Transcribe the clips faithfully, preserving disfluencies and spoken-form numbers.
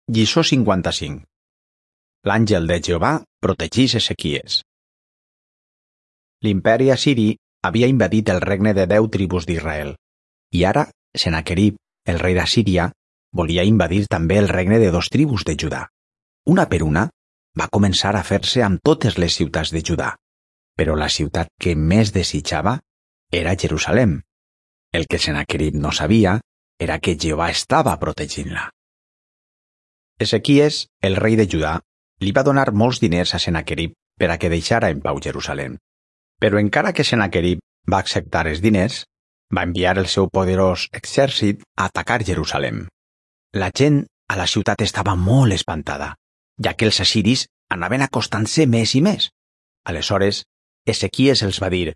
Lliçó cinquanta-cinc. L'àngel de Jehovà protegís Ezequies. L'imperi assiri havia invadit el regne de deu tribus d'Israel, i ara Sennacherib, el rei d'Assíria, volia invadir també el regne de dos tribus de Judà. Una per una, va començar a fer-se amb totes les ciutats de Judà, però la ciutat que més desitjava era Jerusalem. El que Sennacherib no sabia era que Jehovà estava protegint-la. Ezequies, el rei de Judà, li va donar molts diners a Sennacherib per a que deixara en pau Jerusalem. Però encara que Sennacherib va acceptar els diners, va enviar el seu poderós exèrcit a atacar Jerusalem. La gent a la ciutat estava molt espantada, ja que els assiris anaven acostant-se més i més. Aleshores, Ezequies els va dir: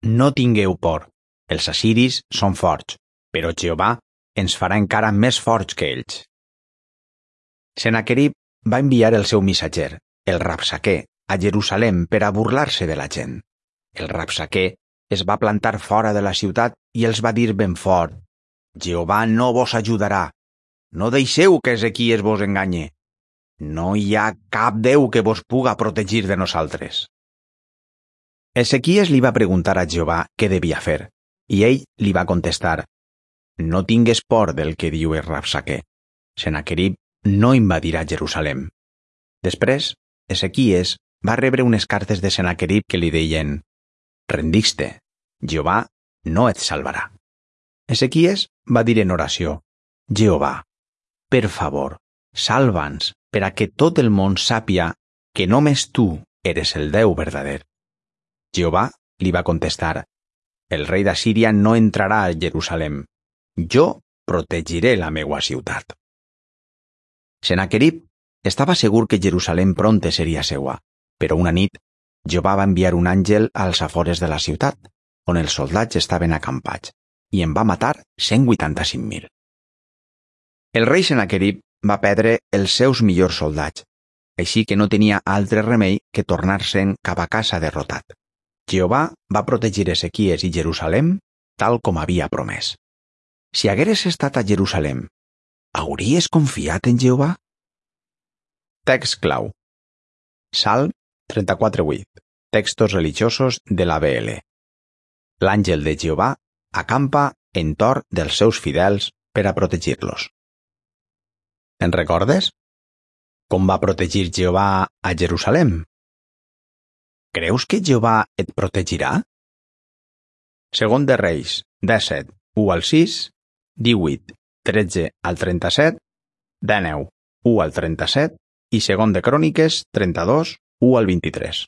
«No tingueu por, els assiris són forts, però Jehovà ens farà encara més forts que ells». Sennacherib va enviar el seu missatger, el Rabsaquer, a Jerusalem per a burlar-se de la gent. El Rabsaquer es va plantar fora de la ciutat i els va dir ben fort: «Jehovà no vos ajudarà. No deixeu que Ezequies vos enganye. No hi ha cap Déu que vos puga protegir de nosaltres». Ezequies li va preguntar a Jehovà què devia fer, i ell li va contestar: «No tingues por del que diu el Rabsaquer. Sennacherib no invadirà Jerusalem». Després, Ezequies va rebre unes cartes de Sennacherib que li deien: «Rendix-te, Jehovà no et salvarà». Ezequies va dir en oració: «Jehovà, per favor, salva'ns per a que tot el món sàpia que només tu eres el Déu verdader». Jehovà li va contestar: «El rei d'Assíria no entrarà a Jerusalem. Jo protegiré la meua ciutat». Sennacherib estava segur que Jerusalem prompte seria seua, però una nit Jehovà va enviar un àngel als afores de la ciutat, on els soldats estaven acampats, i en va matar cent vuitanta-cinc mil. El rei Sennacherib va perdre els seus millors soldats, així que no tenia altre remei que tornar-se'n cap a casa derrotat. Jehovà va protegir Ezequies i Jerusalem tal com havia promès. Si hagueres estat a Jerusalem, hauries confiat en Jehovà? Text clau. Salm trenta-quatre vuit. Textos religiosos de l'A B L. L'àngel de Jehovà acampa entorn dels seus fidels per a protegir-los. Te'n recordes? Com va protegir Jehovà a Jerusalem? Creus que Jehovà et protegirà? Segon de Reis, disset, u al sis, divuit, tretze al trenta-set, dinou, u al trenta-set i segon de Cròniques, trenta-dos, u al vint-i-tres.